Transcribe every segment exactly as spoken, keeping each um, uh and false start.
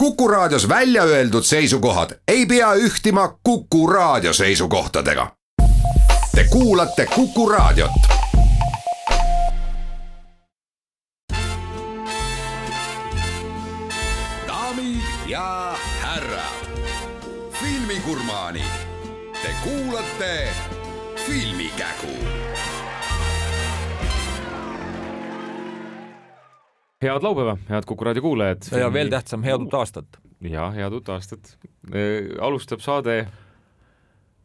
Kuku Raadios välja öeldud seisukohad ei pea ühtima Kuku Raadio seisukohtadega. Te kuulate Kuku Raadiot. Daamid ja härrad, filmigurmaanid, te kuulate Filmikägu. Head laupäeva, head Kuku Raadio kuulajad. Ja veel tähtsam, head uut aastat. Ja head uut aastat. Alustab saade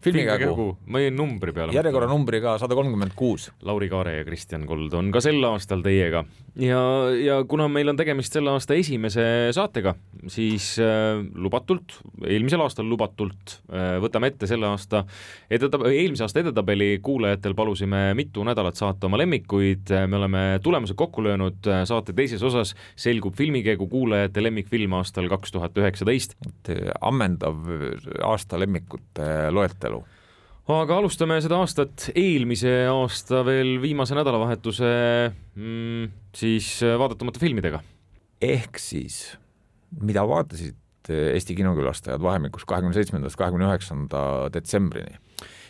Filmikägu. Ma jäin numbri peale. Järjekorra numbriga sada kolmkümmend kuus. Lauri Kaare ja Kristjan Kold on ka sel aastal teiega. Ja, ja kuna meil on tegemist selle aasta esimese saatega, siis äh, lubatult, eelmisel aastal lubatult äh, võtame ette selle aasta edetab- eelmise aasta edetabeli kuulajatel palusime mitu nädalat saata oma lemmikuid. Me oleme tulemused kokku löönud saate teises osas. Selgub Filmikägu kuulajate lemmikfilm aastal kaks tuhat üheksateist. Ammendav aasta lemmikute loetelu. Aga alustame seda aastat eelmise aasta veel viimase nädalavahetuse mm, siis vaadatamata filmidega. Ehk siis, mida vaatasid Eesti kinokülastajad vahemikus kahekümne seitsmendast kahekümne üheksanda detsembrini?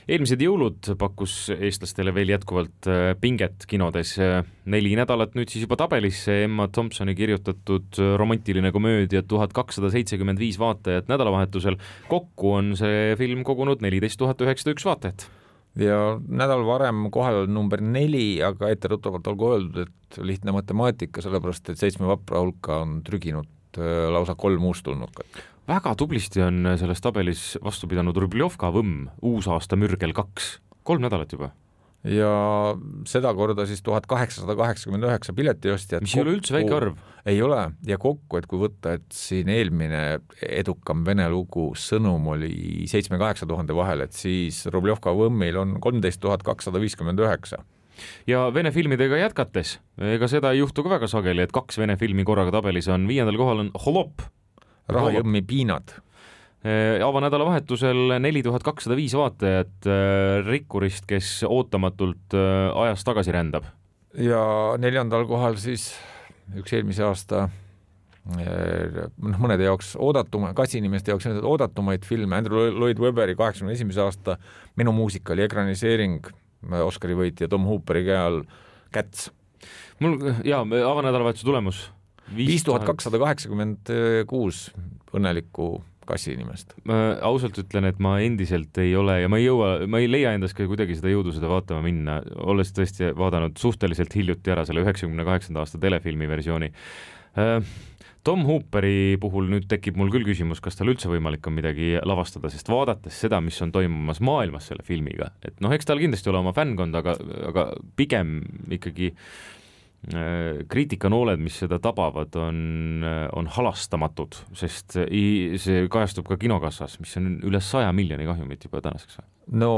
Eelmised jõulud pakkus eestlastele veel jätkuvalt pinget kinodes. Neli nädalat nüüd siis juba tabelisse Emma Thompsoni kirjutatud romantiline komöödia tuhat kakssada seitsekümmend viis vaatajat nädalavahetusel. Kokku on see film kogunud neliteist tuhat üheksasada üks vaatajat. Ja nädal varem kohal number neli, aga etteruttavalt olgu öeldud, et lihtne matemaatika, sellepärast et seitsme vapra hulka on trüginud lausa kolm uustulnukat. Väga tublisti on selles tabelis vastu pidanud Rubljovka Võmm, uusaasta mürgel kaks, kolm nädalat juba. Ja seda korda siis tuhat kaheksasada kaheksakümmend üheksa piletiostjat. Mis ei ole üldse väike arv. Ei ole, ja kokku, et kui võtta, et siin eelmine edukam vene lugu Sõnum oli seitse kaheksa tuhande vahel, et siis Rubljovka Võmmil on kolmteist tuhat kakssada viiskümmend üheksa. Ja vene filmidega jätkates, ega seda ei juhtu ka väga sageli, et kaks vene filmi korraga tabelis on. Viiendal kohal on Holop, Rahajõmmi piinad. Avanädala vahetusel neli tuhat kakssada viis vaatajat rikkurist, kes ootamatult ajas tagasi rändab. Ja neljandal kohal siis üks eelmise aasta mõnede jaoks oodatuma, kasinimeste jaoks oodatumaid filme, Andrew Lloyd Webberi kaheksakümne esimese aasta Minu muusikali ekraniseering Oscari võitja Tom Hooperi käe all Cats. Mul, jaa, avanädalavahetuse tulemus viis tuhat kakssada kaheksakümmend kuus õnnelikku kassi inimest. Ma ausalt ütlen, et ma endiselt ei ole ja ma ei jõua, ma ei leia endast ka kuidagi seda jõudu seda vaatama minna, olles tõesti vaadanud suhteliselt hiljuti ära selle üheksakümne kaheksanda aasta telefilmi versiooni. Tom Hooperi puhul nüüd tekib mul küll küsimus, kas tal üldse võimalik on midagi lavastada, sest vaadates seda, mis on toimumas maailmas selle filmiga, et noh, eks tal kindlasti ole oma fännkond, aga, aga pigem ikkagi kriitikanooled, mis seda tabavad, on, on halastamatud, sest see kajastub ka kinokassas, mis on üle saja miljoni kahjumit juba tänaseks. No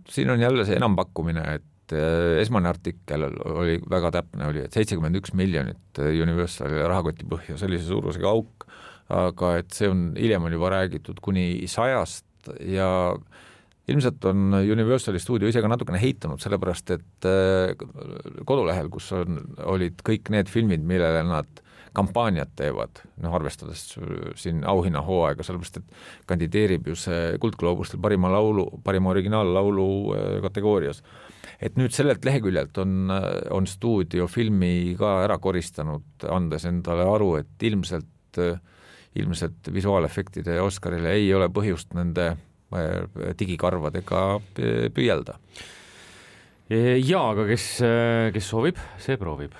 siin on jälle see enampakkumine, et esmane artikkel oli väga täpne, oli, et seitsekümmend üks miljonit Universali rahakoti põhja, sellise suurusega auk, aga et see on, hiljem on juba räägitud kuni sajast ja ilmselt on Universali stuudio ise ka natukene heitunud, sellepärast et kodulehel, kus on, olid kõik need filmid, millele nad kampaaniat teevad, noh arvestades siin auhinna hooaega, sellepärast et kandideerib ju see Kuldgloobustel parima laulu, parima originaal-laulu kategoorias. Et nüüd sellelt leheküljelt on, on stuudio filmi ka ära koristanud, andes endale aru, et ilmselt, ilmselt visuaalefektide Oscarile ei ole põhjust nende digikarvadega püüelda. Jaa, aga kes, kes soovib, see proovib.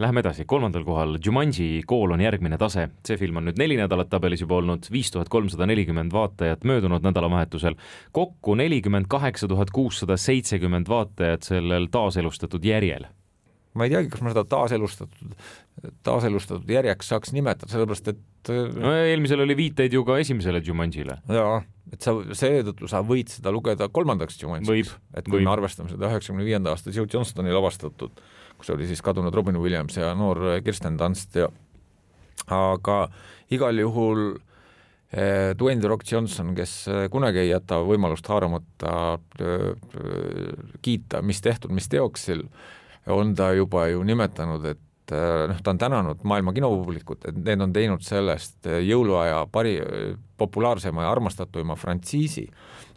Läheme edasi, kolmandal kohal Jumanji kool on järgmine tase. See film on nüüd neli nädalat tabelis juba olnud, viis tuhat kolmsada nelikümmend vaatajat möödunud nädalavahetusel. Kokku nelikümmend kaheksa tuhat kuussada seitsekümmend vaatajat sellel taaselustatud järjel. Ma ei teagi, kas ma seda taaselustatud, taaselustatud järjeks saaks nimetada, sellepärast et no, eelmisel oli viiteid ju ka esimesele Jumanjile. Jaa, et sa, seetõttu sa võid seda lugeda kolmandaks Jumanjiks. Et kui võib. me arvestame seda üheksakümne viienda aasta Joe Johnstoni lavastatud, kus oli siis kadunud Robin Williams ja noor Kirsten Dunst. Ja, aga igal juhul eh, Dwayne The Rock Johnson, kes kunagi ei jäta võimalust haaramata eh, kiita, mis tehtud, mis teoksil, on ta juba ju nimetanud, et noh, ta on tänanud maailma kinopublikut, et need on teinud sellest jõuluaja pari, populaarsema ja armastatuima frantsiisi,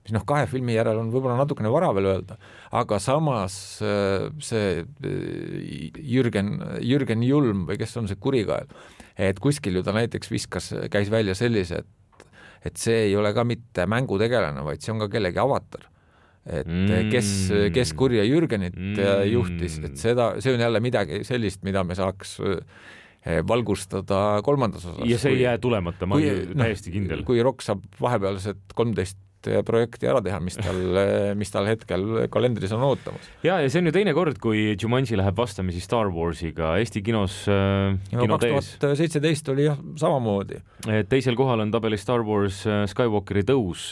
mis noh, kahe filmi järel on võib-olla natukene vara veel öelda, aga samas see Jürgen, Jürgen Julm või kes on see kurikael, et kuskil ju ta näiteks viskas, käis välja sellise, et, et see ei ole ka mitte mängutegelane, vaid see on ka kellegi avatar. Et mm. kes, kes kurja Jürgenit mm. juhtis, et seda, see on jälle midagi sellist, mida me saaks valgustada kolmandas osas. Ja see ei jää tulemata, ma olen täiesti kindel. Kui Rock saab vahepealsed kolmteist projekti ära teha, mis tal, mis tal hetkel kalendris on ootamas. Ja, ja see on ju teine kord, kui Jumanji läheb vastamisi Star Warsiga Eesti kinos äh, kino tees. kaks tuhat seitseteist oli jah samamoodi. Teisel kohal on tabelis Star Wars Skywalkeri tõus,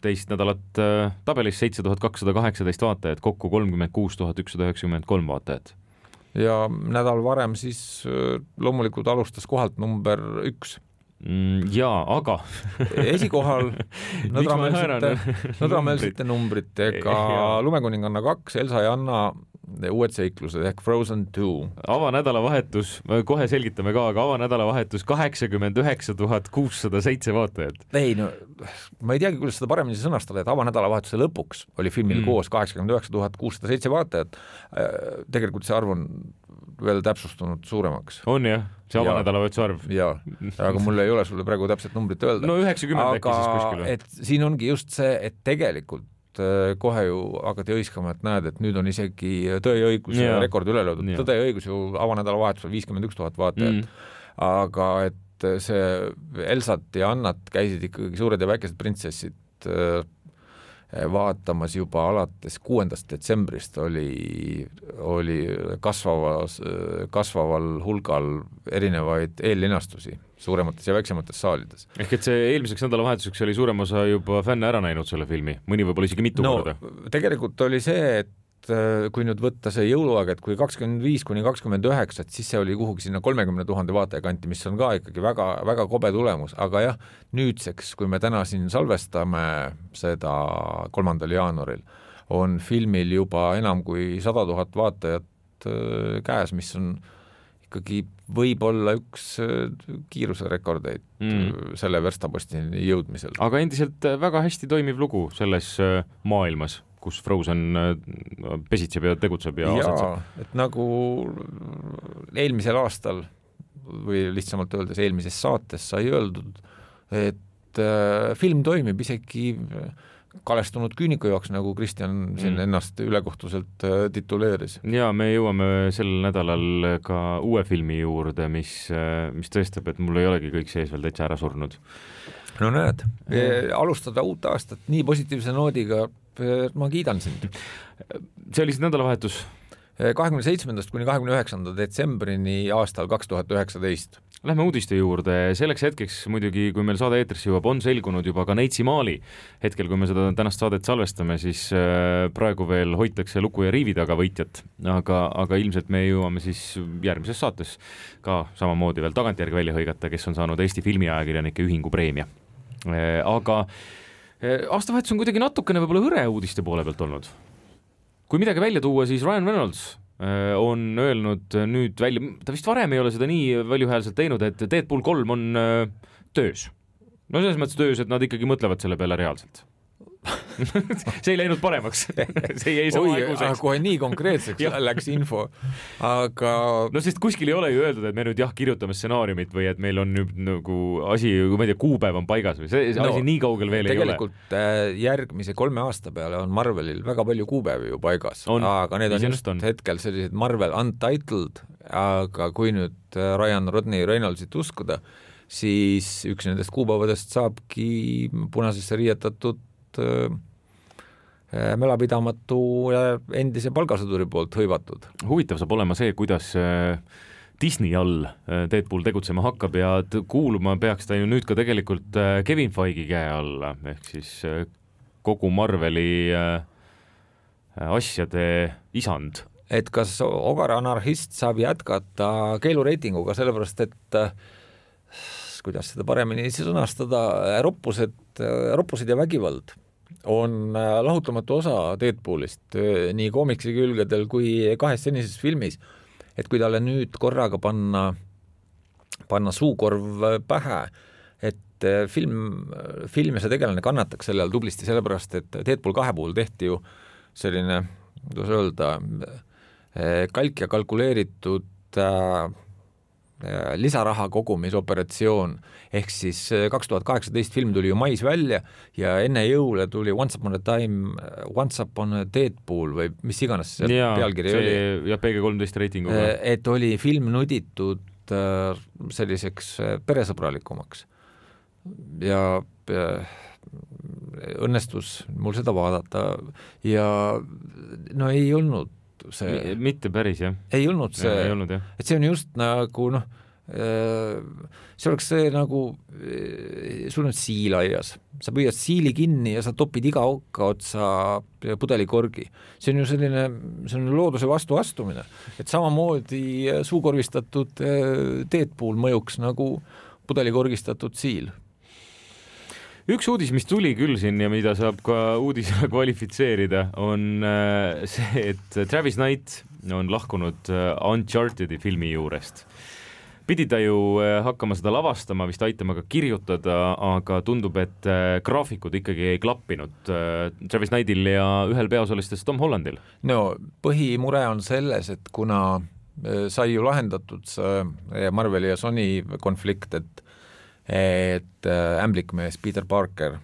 teist nädalat tabelis seitse tuhat kakssada kaheksateist vaatajat, kokku kolmkümmend kuus tuhat ükssada üheksakümmend kolm vaatajat. Ja nädal varem siis loomulikult alustas kohalt number üks. Jaa, aga esikohal nõdrameelsete numbritega Lumekuninganna kaks, Elsa ja Anna uued seiklused ehk Frozen two. Avanädalavahetus, kohe selgitame ka, aga avanädalavahetus kaheksakümmend üheksa tuhat kuussada seitse vaatajat. Ei, no ma ei teagi, kuidas seda paremini sõnastada, et avanädalavahetuse lõpuks oli filmil mm. koos kaheksakümmend üheksa tuhat kuussada seitse vaatajat. Tegelikult see arv on veel täpsustunud suuremaks. On jah, see avanädalavahetuse arv. Jaa, aga mul ei ole sulle praegu täpset numbrit öelda. No üheksakümmend äkki siis kuskil. Et siin ongi just see, et tegelikult kohe ju hakati õiskama, et näed, et nüüd on isegi Tõe ja õigus ja rekord üle löödud. Tõde ja õigus ju avanädalavahetusel viiskümmend üks tuhat vaatajat. Mm. Aga et see Elsat ja Annat käisid ikkagi suured ja väikesed printsessid vaatamas juba alates kuuendast detsembrist oli, oli kasvavas, kasvaval hulgal erinevaid eellinastusi suuremates ja väiksemates saalides. Ehk et see eelmiseks nädalavahetuseks oli suurem osa juba fänne ära näinud selle filmi, mõni võib-olla isegi mitu no, korda. Tegelikult oli see, et kui nüüd võtta see jõuluaeg, et kui kakskümmend viis kuni kakskümmend üheksa, siis see oli kuhugi sinna kolmekümne tuhande vaataja kanti, mis on ka ikkagi väga, väga kobe tulemus, aga jah, nüüdseks, kui me täna siin salvestame seda kolmandal jaanuaril, on filmil juba enam kui sada tuhat vaatajat käes, mis on ikkagi võib-olla üks kiiruserekordeid mm. selle verstapostini jõudmisel. Aga endiselt väga hästi toimiv lugu selles maailmas, kus Frozen pesitseb ja tegutseb ja asetseb. Et nagu eelmisel aastal või lihtsamalt öeldes eelmises saates sai öeldud, et film toimib isegi kalestunud küüniku jaoks, nagu Kristjan siin mm. ennast ülekohtuselt tituleeris. Ja me jõuame sel nädalal ka uue filmi juurde, mis, mis tõestab, et mul ei olegi kõik sees veel täitsa ära surnud. No näed, alustada uut aastat nii positiivse noodiga, ma kiidan sind. See oli siis nädalavahetus? kahekümne seitsmendast kuni kahekümne üheksanda detsembrini aastal kaks tuhat üheksateist. Lähme uudiste juurde. Selleks hetkeks muidugi, kui meil saade eetrisse jõuab, on selgunud juba ka Neitsi Maali. Hetkel, kui me seda tänast saadet salvestame, siis praegu veel hoitakse luku ja riivi taga võitjat, aga, aga ilmselt me jõuame siis järgmises saates ka samamoodi veel tagantjärgi välja hõigata, kes on saanud Eesti filmiajakirjanike ühingu preemia. Aga aastavahetus on kuidagi natukene võib-olla hõre uudiste poole pealt olnud. Kui midagi välja tuua, siis Ryan Reynolds on öelnud nüüd välja, ta vist varem ei ole seda nii valjuhäälselt teinud, et Deadpool kolm on töös. No selles mõttes töös, et nad ikkagi mõtlevad selle peale reaalselt. See ei läinud paremaks. See ei sama aeguseks. Kohe nii konkreetseks läks info. Aga... No sest kuskil ei ole ju öeldud, et me nüüd jah kirjutame stsenaariumit või et meil on nüüd nagu asi, ma ei tea, kuupäev on paigas või see no, asi nii kaugel veel ei ole. Tegelikult järgmise kolme aasta peale on Marvelil väga palju kuupäevi ju paigas, on, aga need on just on. hetkel sellised Marvel Untitled, aga kui nüüd Ryan Rodney Reynoldsit uskuda, siis üks nendest kuupäevadest saabki punasesse riietatud mälapidamatu ja endise palgasõduri poolt hõivatud. Huvitav saab olema see, kuidas Disney all Deadpool tegutsema hakkab ja kuuluma peaks ta ju nüüd ka tegelikult Kevin Feige käe alla, ehk siis kogu Marveli asjade isand. Et kas Ogar Anarhist saab jätkata keelureitinguga, sellepärast et kuidas seda paremini sõnastada, roppused, roppused ja vägivald on lahutamatu osa Deadpoolist nii koomiksi külgedel kui kahes senises filmis et kui talle nüüd korraga panna, panna suukorv pähe, et film, film ja see tegelane kannataks selle all tublisti, sellepärast et Deadpool kahe puhul tehti ju selline, kuidas öelda, kalk ja kalkuleeritud äh, lisaraha kogumisoperatsioon, ehk siis kaks tuhat kaheksateist film tuli ju mais välja ja enne jõule tuli Once Upon a Time, Once Upon a Deadpool või mis iganes see ja, pealkiri see, oli. Ja P G kolmteist reitinguga. Et oli film nuditud selliseks peresõbralikumaks ja, ja õnnestus mul seda vaadata ja no ei olnud see, mitte päris, jah. Ei olnud see, ei olnud, jah. Et see on just nagu noh, see oleks see nagu sul on siil aias, sa püüad siili kinni ja sa topid iga okka otsa pudelikorgi. See on ju selline, see on looduse vastu astumine, et samamoodi suukorvistatud Deadpool mõjuks nagu pudelikorgistatud siil. Üks uudis, mis tuli küll siin ja mida saab ka uudisena kvalifitseerida, on see, et Travis Knight on lahkunud Unchartedi filmi juurest. Pidi ta ju hakkama seda lavastama, vist aitama ka kirjutada, aga tundub, et graafikud ikkagi ei klappinud Travis Knightil ja ühel peaosalistest Tom Hollandil. No põhimure on selles, et kuna sai ju lahendatud see Marveli ja Sony konflikt, et et ämblikmees Peter Parker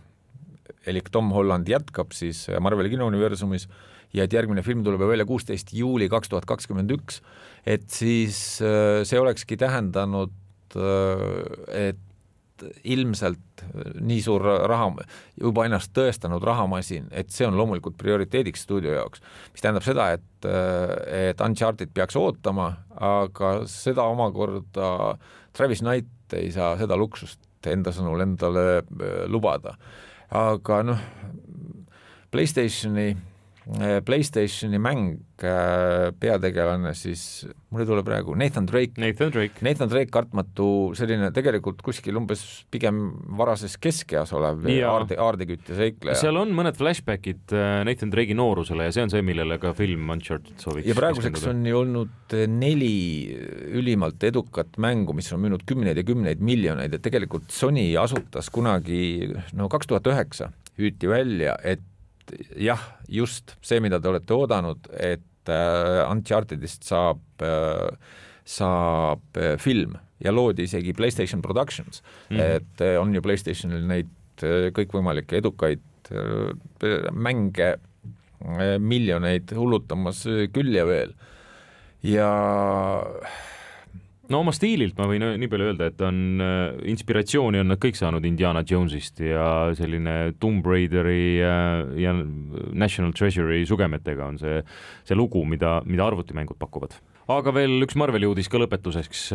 elik Tom Holland jätkab siis Marveli kinouniversumis ja et järgmine film tuleb välja kuusteist juuli kaks tuhat kakskümmend üks, et siis see olekski tähendanud, et ilmselt nii suur raha, juba ennast tõestanud rahamasin, et see on loomulikult prioriteediks stuudio jaoks, mis tähendab seda, et, et Uncharted peaks ootama, aga seda omakorda Travis Knight ei saa seda luksust enda sõnul endale lubada. Aga noh, PlayStationi, PlayStationi mäng peategelane siis, mul ei tule praegu, Nathan Drake. Nathan Drake. Nathan Drake kartmatu selline tegelikult kuskil umbes pigem varases keskeas olev aarde, aardekütt ja seikleja. Seal on mõned flashbackid Nathan Drake'i noorusele ja see on see, millele ka film Uncharted sooviks. Ja praeguseks on ju olnud neli ülimalt edukat mängu, mis on müünud kümneid ja kümneid miljoneid, et tegelikult Sony asutas kunagi, no kaks tuhat üheksa hüüti välja, et jah, just see, mida te olete oodanud, et Unchartedist saab, saab film ja loodi isegi PlayStation Productions, mm-hmm. et on ju PlayStationil neid kõikvõimalikke edukaid mänge miljoneid hullutamas küll ja veel. Ja no oma stiililt ma võin nii palju öelda, et on inspiratsiooni on nad kõik saanud Indiana Jonesist ja selline Tomb Raideri ja National Treasure'i sugemetega on see, see lugu, mida, mida arvutimängud pakuvad. Aga veel üks Marveli uudis ka lõpetuseks.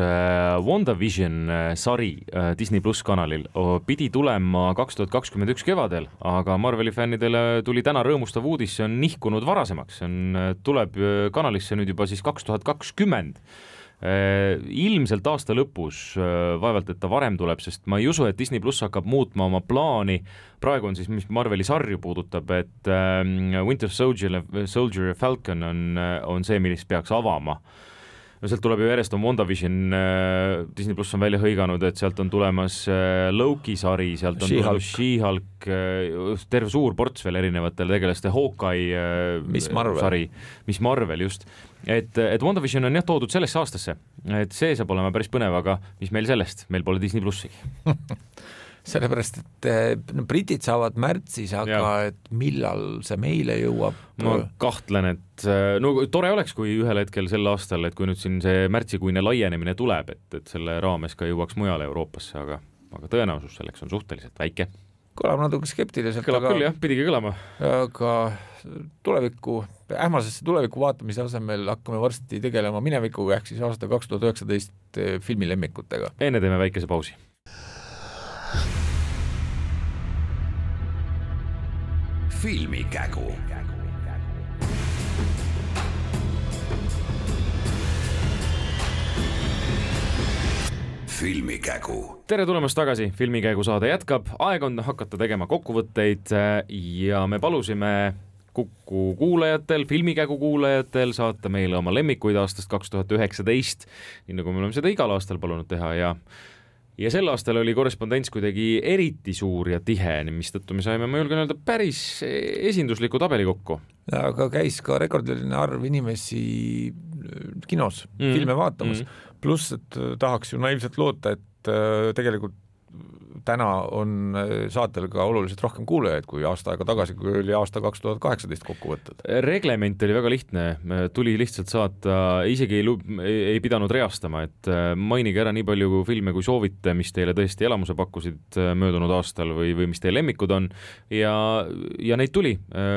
WandaVision sari Disney Plus kanalil pidi tulema kaks tuhat kakskümmend üks kevadel, aga Marveli fännidele tuli täna rõõmustav uudis, see on nihkunud varasemaks, see on, tuleb kanalisse nüüd juba siis kaks tuhat kakskümmend. Ilmselt aasta lõpus, vaevalt, et ta varem tuleb, sest ma ei usu, et Disney Plus hakkab muutma oma plaani. Praegu on siis, mis Marveli sarju puudutab, et Winter Soldier, Soldier ja Falcon on, on see, millist peaks avama. No sealt tuleb ju järjest on WandaVision, Disney Plus on välja hõiganud, et sealt on tulemas Loki sari, sealt on She-Hulk, She-Hulk, terve suur ports veel erinevatele tegelaste, Hawkeye Miss Marvel. Sari, Miss Marvel just. Et, et WandaVision on jah toodud sellesse aastasse, et see saab olema päris põnev, aga mis meil sellest, meil pole Disney Plussigi. Sellepärast, et no, britid saavad märtsis, aga ja. Et millal see meile jõuab? Ma kahtlen, et no tore oleks, kui ühel hetkel sel aastal, et kui nüüd siin see märtsikuine laienemine tuleb, et, et selle raames ka jõuaks mujale Euroopasse, aga, aga tõenäosus selleks on suhteliselt väike. Kõlab natuke skeptiliselt. Kõlab aga, küll jah, pidigi kõlama. Aga tuleviku, ähmasesse tuleviku vaatamise asemel hakkame varsti tegelema minevikuga, ehk siis aasta kaks tuhat üheksateist filmilemmikutega. Enne teeme väikese pausi. Filmikägu. Filmikägu. Tere tulemast tagasi, Filmikägu saade jätkab, aeg on hakata tegema kokkuvõtteid ja me palusime Kuku kuulajatel, filmikägu kuulajatel saata meile oma lemmikuid aastast kaks tuhat üheksateist, nii nagu me oleme seda igal aastal palunud teha ja ja sel aastal oli korrespondents kuidagi eriti suur ja tihe, mistõttu me saime, ma julgen öelda, päris esindusliku tabeli kokku. Aga käis ka rekordiline arv inimesi kinos mm. filme vaatamas, mm. pluss, et tahaks ju naiivselt loota, et tegelikult täna on saatel ka oluliselt rohkem kuulajaid kui aasta aega tagasi, kui oli aasta kaks tuhat kaheksateist kokku võtted. Reglement oli väga lihtne, tuli lihtsalt saata, isegi ei, ei pidanud reastama, et mainige ära nii palju filme, kui soovite, mis teile tõesti elamuse pakkusid möödunud aastal või, või mis teie lemmikud on ja, ja neid tuli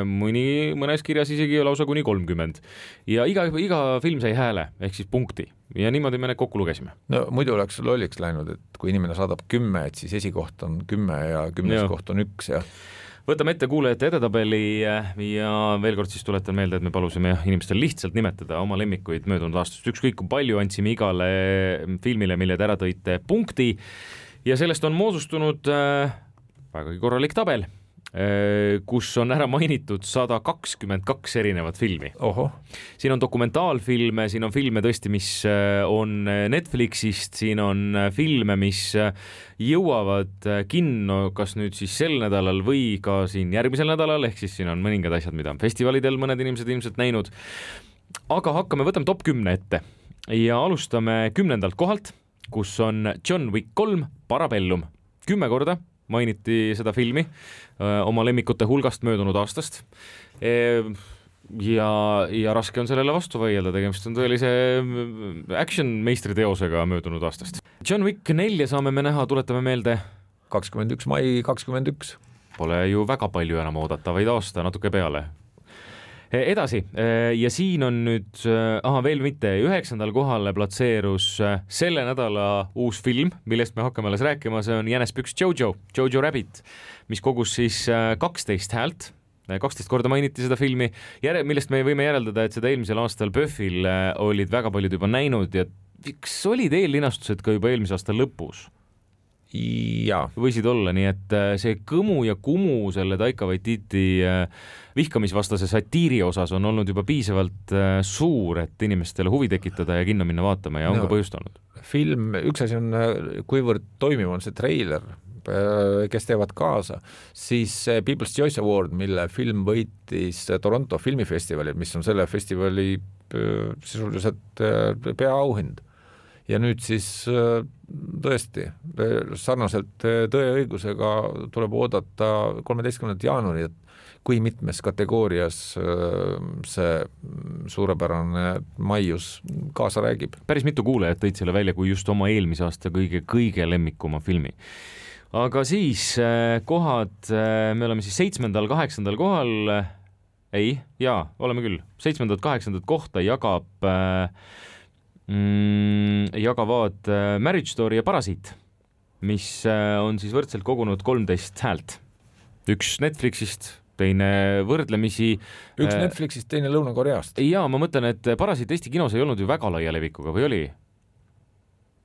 mõni, mõnes kirjas isegi lausa kuni kolmkümmend ja iga, iga film sai hääle ehk siis punkti ja niimoodi me need kokku lugesime. No muidu oleks lolliks läinud, et kui inimene saadab kümme, et siis esikoht on kümme ja kümnes ja. Koht on üks ja võtame ette kuulajate edetabeli ja veel kord siis tuletan meelde, et me palusime inimestel lihtsalt nimetada oma lemmikuid möödunud aastast, ükskõik kui palju andsime igale filmile, mille te ära tõite punkti ja sellest on moodustunud äh, vägagi korralik tabel, kus on ära mainitud sada kakskümmend kaks erinevat filmi. Oho. Siin on dokumentaalfilme, siin on filme tõesti, mis on Netflixist, siin on filme, mis jõuavad kinno kas nüüd siis sel nädalal või ka siin järgmisel nädalal, ehk siis siin on mõningad asjad, mida on festivalidel mõned inimesed ilmselt näinud. Aga hakkame, võtame top kümne ette ja alustame kümnendalt kohalt, kus on John Wick kolm Parabellum. Kümme korda mainiti seda filmi öö, oma lemmikute hulgast möödunud aastast e, ja, ja raske on sellele vastu vaielda, tegemist on tõelise action meistriteosega möödunud aastast. John Wick nelja saame me näha, tuletame meelde kakskümmend üks mai kakskümmend üks. Pole ju väga palju enam oodata, vaid aasta natuke peale. Edasi ja siin on nüüd, aha veel mitte, üheksandal kohale platseerus selle nädala uus film, millest me hakkame alles rääkima, see on Jänespüks Jojo, Jojo Rabbit, mis kogus siis kaksteist häält, kaksteist korda mainiti seda filmi, millest me võime järeldada, et seda eelmisel aastal Pöhvil olid väga paljud juba näinud ja kas olid eellinastused ka juba eelmise aasta lõpus? Ja. Võisid olla, nii et see kõmu ja kumu selle Taika Waititi vihkamisvastase satiiri osas on olnud juba piisavalt suur, et inimestele huvi tekitada ja kinno minna vaatama ja on no, ka põhjust olnud. Film, üks asi on, kuivõrd toimiv on see treiler, kes teevad kaasa, siis People's Choice Award, mille film võitis Toronto filmifestivalil, mis on selle festivali sisuliselt peaauhind. Ja nüüd siis tõesti sarnaselt Tõe ja õigusega tuleb oodata kolmeteistkümnendal jaanuari, et kui mitmes kategoorias see suurepärane maius kaasa räägib. Päris mitu kuulajat tõid selle välja kui just oma eelmise aasta kõige, kõige lemmikuma filmi. Aga siis kohad, me oleme siis seitsmendal, kaheksandal kohal, ei, jaa, oleme küll, seitsmendat, kaheksandat kohta jagab Mm, jagavad Marriage Story ja Parasiit, mis on siis võrdselt kogunud kolmteist häält. Üks Netflixist, teine võrdlemisi üks Netflixist, teine Lõuna-Koreast. Jaa, ma mõtlen, et Parasiit Eesti kinos ei olnud ju väga laia levikuga, või oli?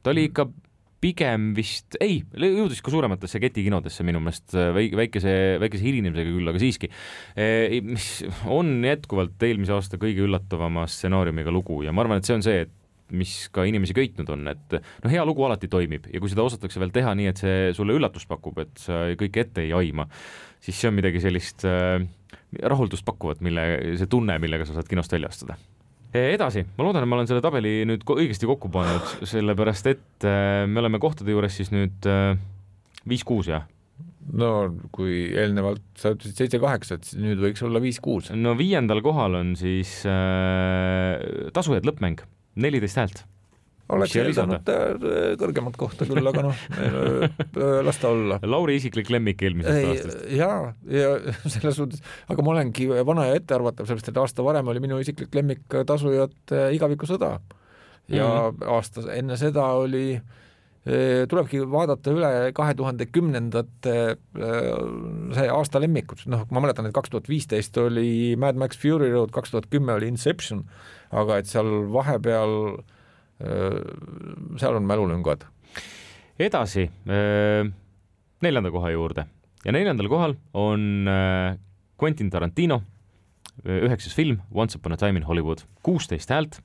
Ta oli ikka pigem vist, ei, jõudis ka suurematesse ketikinodesse minu meelest väikese, väikese hilinemisega küll, aga siiski, mis on jätkuvalt eelmise aasta kõige üllatavama stsenaariumiga lugu ja ma arvan, et see on see, et mis ka inimesi köitnud on, et no hea lugu alati toimib ja kui seda osatakse veel teha nii, et see sulle üllatust pakub, et sa kõik ette ei aima, siis see on midagi sellist äh, rahuldust pakkuvat, mille, see tunne, millega sa saad kinost välja astuda. Edasi, ma loodan, et ma olen selle tabeli nüüd õigesti kokku pannud, sellepärast et äh, me oleme kohtade juures siis nüüd äh, viis kuus, jah? No kui eelnevalt sa ütlesid seitse kaheksa, et nüüd võiks olla viis kuus. No viiendal kohal on siis äh, Tasujad lõppmäng. neliteist häält. Oleks eeldanud kõrgemat kohta küll, aga noh, las ta olla. Lauri isiklik lemmik eelmisest aastast. Jaa, ja selles suhtes, aga ma olengi vana ja ettearvatav, sellest, et aasta varem oli minu isiklik lemmik Tasujad Igaviku sõda. Ja mm-hmm. aasta enne seda oli, tulebki vaadata üle kahe tuhande kümnendate see aasta lemmikud. Noh, ma mäletan, et kaks tuhat viisteist oli Mad Max Fury Road, kaks tuhat kümme oli Inception, aga et seal vahepeal seal on mälulüngad. Edasi neljanda koha juurde ja neljandal kohal on Quentin Tarantino üheksas film Once Upon a Time in Hollywood, kuusteist häält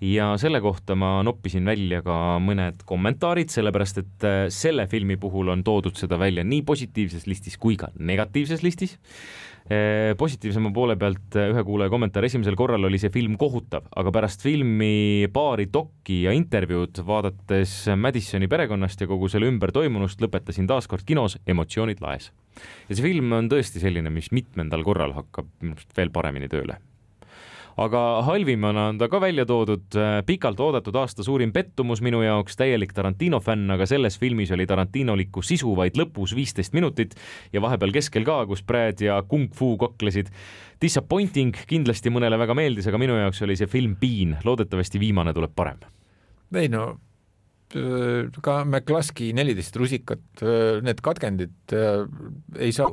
ja selle kohta ma noppisin välja ka mõned kommentaarid, sellepärast et selle filmi puhul on toodud seda välja nii positiivses listis kui ka negatiivses listis. Positiivsema poole pealt ühe kuulaja kommentaar: esimesel korral oli see film kohutav, aga pärast filmi paari dokki ja intervjuud vaadates Madisoni perekonnast ja kogu selle ümber toimunust lõpetasin taaskord kinos emotsioonid laes. Ja see film on tõesti selline, mis mitmendal korral hakkab veel paremini tööle. Aga halvimana on ta ka välja toodud pikalt oodatud aasta suurim pettumus minu jaoks, täielik Tarantino fänn, aga selles filmis oli Tarantinolikku sisu vaid lõpus viisteist minutit ja vahepeal keskel ka, kus Brad ja Kung Fu koklesid. Disappointing, kindlasti mõnele väga meeldis, aga minu jaoks oli see film piin, loodetavasti viimane tuleb parem. Ei no, ka McCluskey neliteist rusikat, need katkendid ei saa,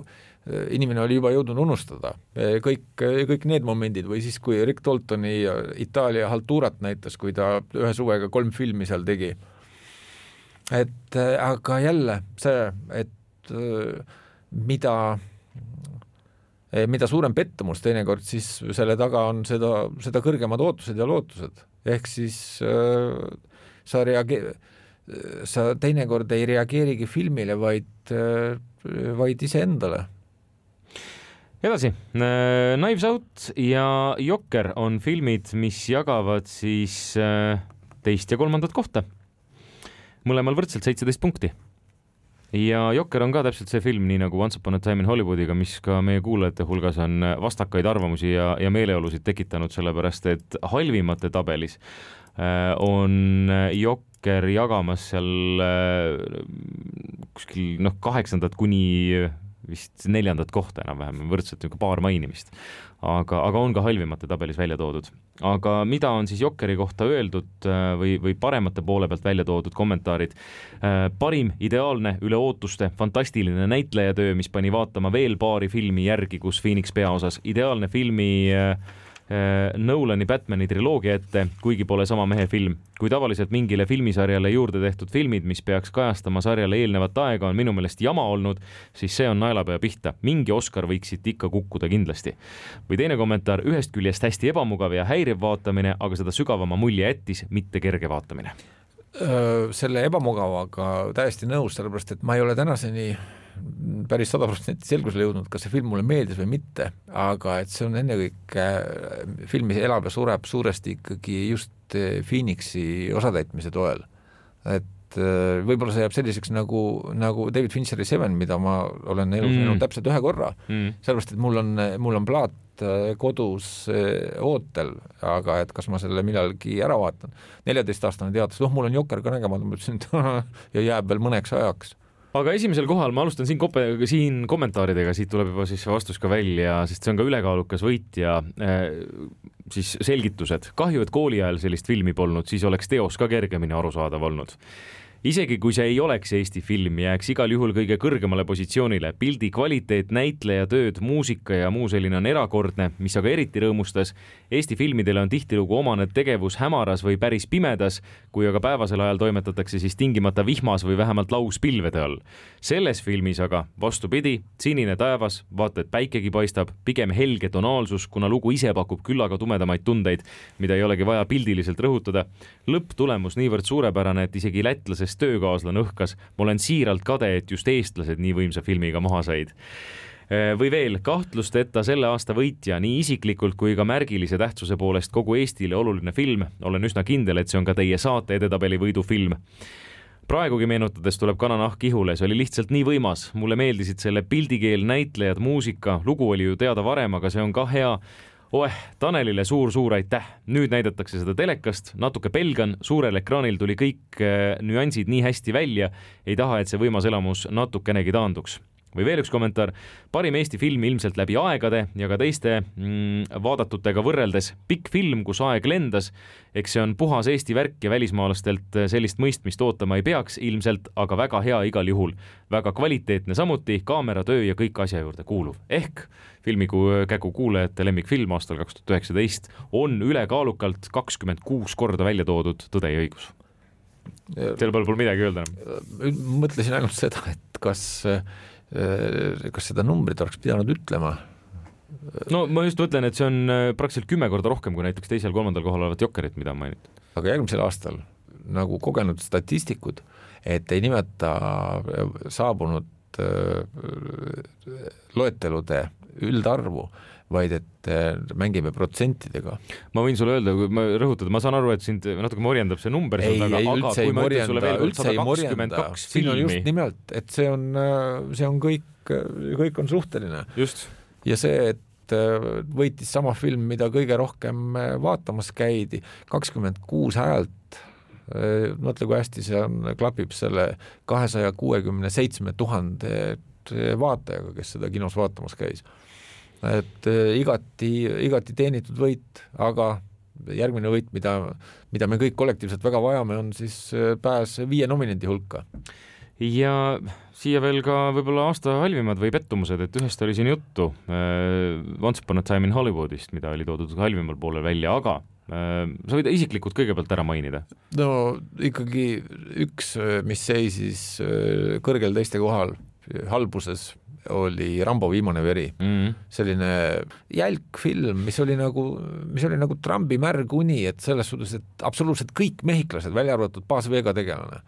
inimene oli juba jõudnud unustada kõik, kõik need momendid või siis kui Rick Daltoni Itaalia haltuurat näitas, kui ta ühe suvega kolm filmi seal tegi. Et aga jälle see, et mida mida suurem pettumus teinekord, siis selle taga on seda, seda kõrgemad ootused ja lootused. Ehk siis sa, reage- sa teinekord ei reageerigi filmile, vaid, vaid ise endale. Edasi, Knives Out ja Joker on filmid, mis jagavad siis teist ja kolmandat kohta. Mõlemal võrdselt seitseteist punkti. Ja Joker on ka täpselt see film, nii nagu Once Upon a Time in Hollywoodiga, mis ka meie kuulajate hulgas on vastakaid arvamusi ja, ja meeleolusid tekitanud, sellepärast et halvimate tabelis on Joker jagamas seal kuskil noh, kaheksandat kuni vist neljandat kohta enam-vähem, võrdselt paar mainimist. Aga, aga on ka halvimate tabelis välja toodud. Aga mida on siis Jokeri kohta öeldud või, või paremate poole pealt välja toodud kommentaarid? Parim, ideaalne, üle ootuste, fantastiline näitlejatöö, mis pani vaatama veel paari filmi järgi, kus Phoenix peaosas. Ideaalne filmi Nolani Batmani triloogia ette, kuigi pole sama mehe film. Kui tavaliselt mingile filmisarjale juurde tehtud filmid, mis peaks kajastama sarjale eelnevat aega, on minu meelest jama olnud, siis see on naelapea pihta. Mingi Oscar võiksid ikka kukkuda kindlasti. Või teine kommentaar: ühest küljest hästi ebamugav ja häiriv vaatamine, aga seda sügavama mulje jättis, mitte kerge vaatamine. Selle ebamugavaga täiesti nõus, sellepärast et ma ei ole tänaseni päris sada protsenti selgusele jõudnud, kas see film mulle meeldis või mitte, aga et see on ennekõike filmis elab ja sureb suuresti ikkagi just Phoenixi osatäitmise toel. Et võib-olla see jääb selliseks nagu, nagu David Fincheri Seven, mida ma olen elus mm. näinud täpselt ühe korra, mm. sellepärast et mul on, mul on plaat kodus ootel, aga et kas ma selle millalgi ära vaatan. neljateist aastane teatas, noh, mul on Joker ka nägemata, ma ütlesin, ja jääb veel mõneks ajaks. Aga esimesel kohal ma alustan siin, kope, siin kommentaaridega, siit tuleb juba siis vastus ka välja, sest see on ka ülekaalukas võit ja äh, siis selgitused. Kahju, et kooli ajal sellist filmi polnud, siis oleks teos ka kergemini arusaadav olnud. Isegi kui see ei oleks Eesti film, jääks igal juhul kõige kõrgemale positsioonile. Pildi kvaliteet, näitleja tööd, muusika ja muu selline on erakordne, mis aga eriti rõõmustas. Eesti filmidele on tihtilugu omane tegevus hämaras või päris pimedas, kui aga päevasel ajal toimetatakse siis tingimata vihmas või vähemalt lauspilvede all. Selles filmis aga vastupidi, sinine taevas, vaata et päikegi paistab, pigem helge tonaalsus, kuna lugu ise pakub küllaga tumedamaid tundeid, mida ei olegi vaja pildiliselt rõhutada. Lõpptulemus niivõrd suurepärane, et isegi lätlasest töökaaslan õhkas. Ma olen siiralt kade, et just eestlased nii võimsa filmiga maha said. Või veel, kahtlusteta selle aasta võitja nii isiklikult kui ka märgilise tähtsuse poolest kogu Eestile oluline film. Olen üsna kindel, et see on ka teie saate edetabeli võidu film. Praegugi meenutades tuleb kananahk ihule, see oli lihtsalt nii võimas. Mulle meeldisid selle pildikeel, näitlejad, muusika, lugu oli ju teada varem, aga see on ka hea. Oeh, Tanelile suur-suur aitäh. Nüüd näidatakse seda telekast, natuke pelgan, suurel ekraanil tuli kõik nüansid nii hästi välja, ei taha, et see võimas elamus natukenegi taanduks. Või veel üks kommentaar, parim Eesti film ilmselt läbi aegade ja ka teiste mm, vaadatutega võrreldes. Pikk film, kus aeg lendas, eks see on puhas Eesti värk ja välismaalastelt sellist mõistmist ootama ei peaks ilmselt, aga väga hea igal juhul. Väga kvaliteetne samuti, kaameratöö ja kõik asja juurde kuuluv. Ehk filmi kägu kuulajate lemmikfilm aastal kaks tuhat üheksateist on ülekaalukalt kakskümmend kuus korda välja toodud Tõde ja õigus. Teil pole midagi öelda enam. Mõtlesin ainult seda, et kas kas seda numbrit oleks pidanud ütlema, no ma just mõtlen, et see on praktiliselt kümme korda rohkem kui näiteks teisel-kolmandal kohal olevat Jokerit, mida on mainitud. Aga järgmisel aastal nagu kogenud statistikud, et ei nimeta saabunud loetelude üldarvu, vaid et mängime protsentidega. Ma võin sulle öelda, kui ma rõhutada, ma saan aru, et sind natuke morjendab see number, ei, aga, ei, aga kui ma ütlen sulle veel sada kakskümmend kaks filmi. Siin on just nimelt, et see on, see on kõik, kõik on suhteline. Just. Ja see, et võitis sama film, mida kõige rohkem vaatamas käidi, kakskümmend kuus häält, mõtle kui hästi see on, klapib selle kahesaja kuuekümne seitsme tuhande vaatajaga, kes seda kinos vaatamas käis. Et igati, igati teenitud võit, aga järgmine võit, mida, mida me kõik kollektiivselt väga vajame, on siis pääs viie nominendi hulka. Ja siia veel ka võib-olla aasta halvimad või pettumused, et ühest oli siin juttu Once Upon a Time in Hollywoodist, mida oli toodud halvimal poole välja, aga sa võid isiklikult kõigepealt ära mainida? No ikkagi üks, mis seisis kõrgel teiste kohal halbuses, oli Rambo viimane veri. Mm-hmm. Selline jälk film, mis oli nagu, mis oli nagu Trumpi märg uni, et selles suhtes, et absoluutselt kõik mehhiklased, välja arvatud Baas Vega tegelane,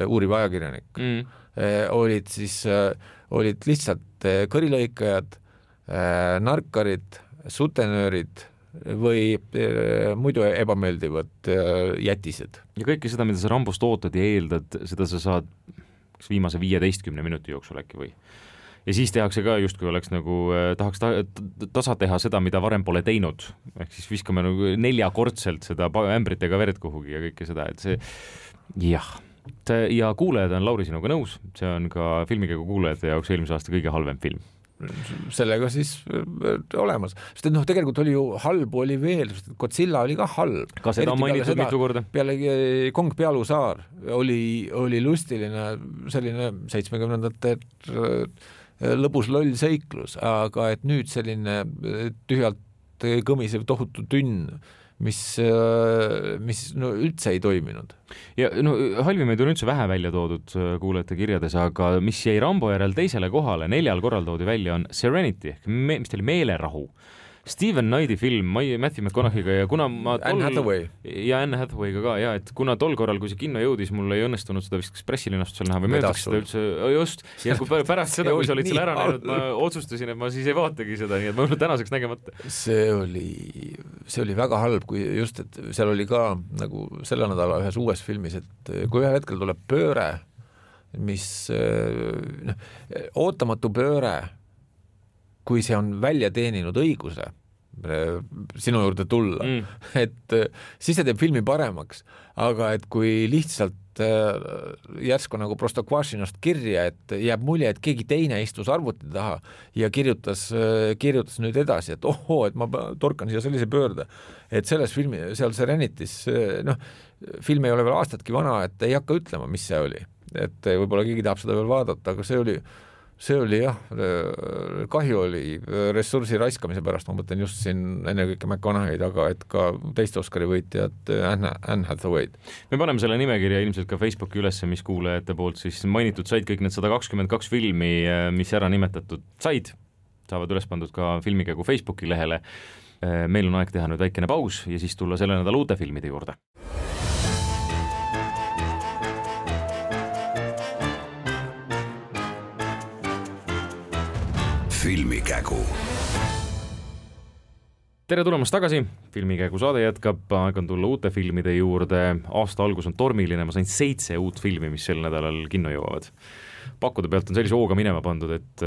uuriv ajakirjanik, mm-hmm. olid siis, olid lihtsalt kõrilõikajad, narkarid, sutenöörid või muidu ebameeldivad jätised. Ja kõike seda, mida sa Rambost ootad ja eeldad, seda sa saad viimase viieteistkümne minuti jooksul äkki või? Ja siis tehakse ka just, kui oleks nagu, tahaks ta, tasa teha seda, mida varem pole teinud. Ehk siis viskame nagu neljakordselt seda ämbritega verd kuhugi ja kõike seda, et see, jah. Ja kuulajad on Lauri sinuga nõus, see on ka filmikäigu kuulajate jaoks eelmise aasta kõige halvem film. Sellega siis olemas. Sest et noh, tegelikult oli ju halb oli veel, sest Godzilla oli ka halb. Ka seda on mainitud mitu korda. Peale Kong Pealu saar oli, oli lustiline selline seitsmekümnendate lõbus loll seiklus, aga et nüüd selline tühjalt kõmisev tohutu tünn, mis, mis no, üldse ei toiminud. Ja no, halvimaid on üldse vähe välja toodud kuulajate kirjades, aga mis jäi Rambo järel teisele kohale, neljal korral toodi välja, on Serenity, me, mis teil meelerahu. Steven Knighti film Matthew McConaughey'ga ja kuna ma tol... Anne Hathaway. Ja Anne Hathaway'ga ka, ja et kuna tol korral, kui see kinno jõudis, mul ei õnnestunud seda vist pressilinast seal näha või möödaks seda üldse, just, ja kui pärast seda, kui sa olid seal ära näinud, ma otsustasin, et ma siis ei vaatagi seda, nii et ma olen tänaseks nägemata. See oli, see oli väga halb, kui just, et seal oli ka nagu selle nädala ühes uues filmis, et kui ühel hetkel tuleb pööre, mis no, ootamatu pööre, kui see on välja teeninud õiguse sinu juurde tulla, mm. et siis see teeb filmi paremaks, aga et kui lihtsalt järsku nagu Prostokvašinost kirja, et jääb mulje, et keegi teine istus arvuti taha ja kirjutas, kirjutas nüüd edasi, et ohoo, et ma torkan siia sellise pöörde, et selles filmi, seal Serenitis, noh, film ei ole veel aastatki vana, et ei hakka ütlema, mis see oli, et võib-olla keegi tahab seda veel vaadata, aga see oli see oli jah, kahju oli ressursi raiskamise pärast, ma mõtlen just siin enne kõike McConaughey'd, aga et ka teiste Oscari võitjad Anne, Anne Hathaway'd. Me paneme selle nimekirja ilmselt ka Facebooki ülesse, mis kuulajate poolt siis mainitud said kõik need sada kakskümmend kaks filmi, mis ära nimetatud said, saavad üles pandud ka filmikäigu Facebooki lehele. Meil on aeg teha nüüd väikene paus ja siis tulla selle nädala uute filmide juurde. Filmikägu. Tere tulemast tagasi, Filmikäigu saade jätkab, aeg on tulla uute filmide juurde, aasta algus on tormiline, ma sain seitse uut filmi, mis sel nädalal kinno jõuavad. Pakkude pealt on sellise hooga minema pandud, et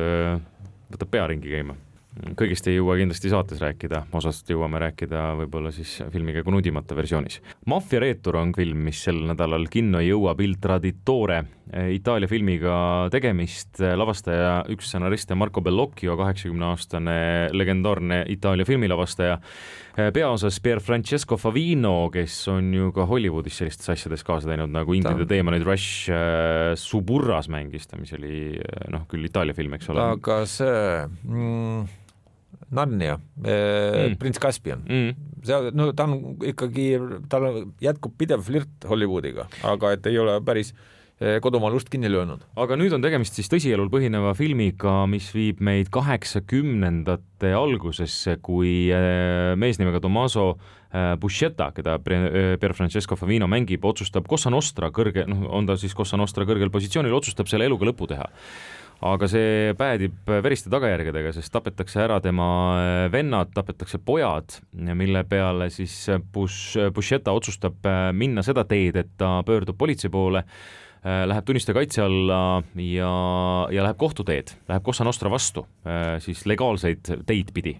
võtab pea ringi käima. Kõigist ei jõua kindlasti saates rääkida, osast jõuame rääkida võib-olla siis filmikäigu nudimata versioonis. Mafia Reetur on film, mis sel nädalal kinno jõuab Il Traditore, Itaalia filmiga tegemist, lavastaja üks stsenariste Marco Bellocchio, kaheksakümne-aastane legendaarne Itaalia filmilavastaja, peaosas Pier Francesco Favino, kes on ju ka Hollywoodis sellistes asjades kaasa teinud, nagu Ingrid ja Deemonid Rush Suburras mängis, mis oli noh, küll Itaalia film, eks ole. Aga see... Mm... Narnia, mm. Prints Caspian mm. see, no, ta on ikkagi tal jätkub pidev flirt Hollywoodiga, aga et ei ole päris kodumaal ust kinni löönud. Aga nüüd on tegemist siis tõsielul põhineva filmiga, mis viib meid kaheksakümnendate algusesse, kui mees nimega Tommaso Buscetta, keda Pierfrancesco Favino mängib, otsustab Cosa Nostra kõrge, noh, on ta siis Cosa Nostra kõrgel positsioonil, otsustab selle eluga lõpu teha. Aga see päädib veriste tagajärgedega, sest tapetakse ära tema vennad, tapetakse pojad, mille peale siis Buscetta otsustab minna seda teed, et ta pöördub politsei poole, läheb tunnistaja kaitse alla ja, ja läheb kohtuteed, läheb Cosa Nostra vastu, siis legaalseid teid pidi.